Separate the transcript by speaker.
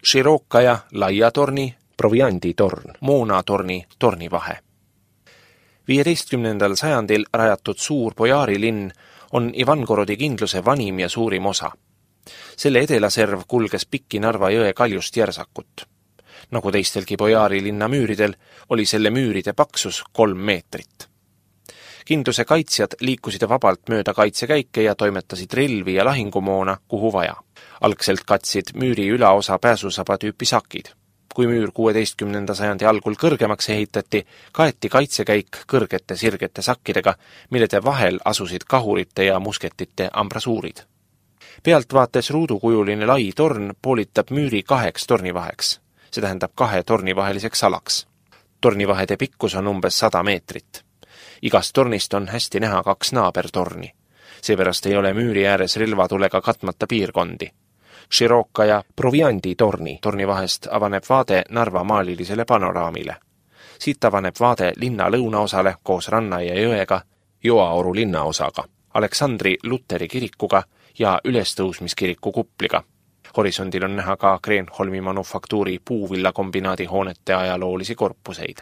Speaker 1: Širokaja laiatorni, provianditorn, moonatorni, tornivahe. 15. sajandil rajatud suur Bojarilinn on Ivangorodi kindluse vanim ja suurim osa. Selle edelaserv kulges pikki Narva jõe kaljust järsakut. Nagu teistelgi Bojarilinna müüridel, oli selle müüride paksus 3 meetrit. Kindluse kaitsjad liikusid vabalt mööda kaitsekäike ja toimetasid relvi ja lahingumoona, kuhu vaja. Algselt katsid müüri ülaosa pääsusaba tüüpi sakid. Kui müür 16. sajandi algul kõrgemaks ehitati, kaeti kaitsekäik kõrgete sirgete sakkidega, millede vahel asusid kahurite ja musketite ambrasuurid. Pealtvaates ruudukujuline lai torn poolitab müüri 2 tornivaheks, see tähendab 2 tornivaheliseks alaks. Tornivahede pikkus on umbes 100 meetrit. Igast tornist on hästi näha 2 naabertorni. Seepärast ei ole müüri ääres relvatulega katmata piirkondi. Širokaja provianditorni tornivahest avaneb vaade Narva maalilisele panoraamile. Siit avaneb vaade linna lõunaosale koos ranna ja jõega, Joaoru linnaosaga, Aleksandri Luteri kirikuga ja Ülestõusmiskiriku kupliga. Horisondil on näha ka Kreenholmi manufaktuuri puuvillakombinaadi hoonete ajaloolisi korpuseid.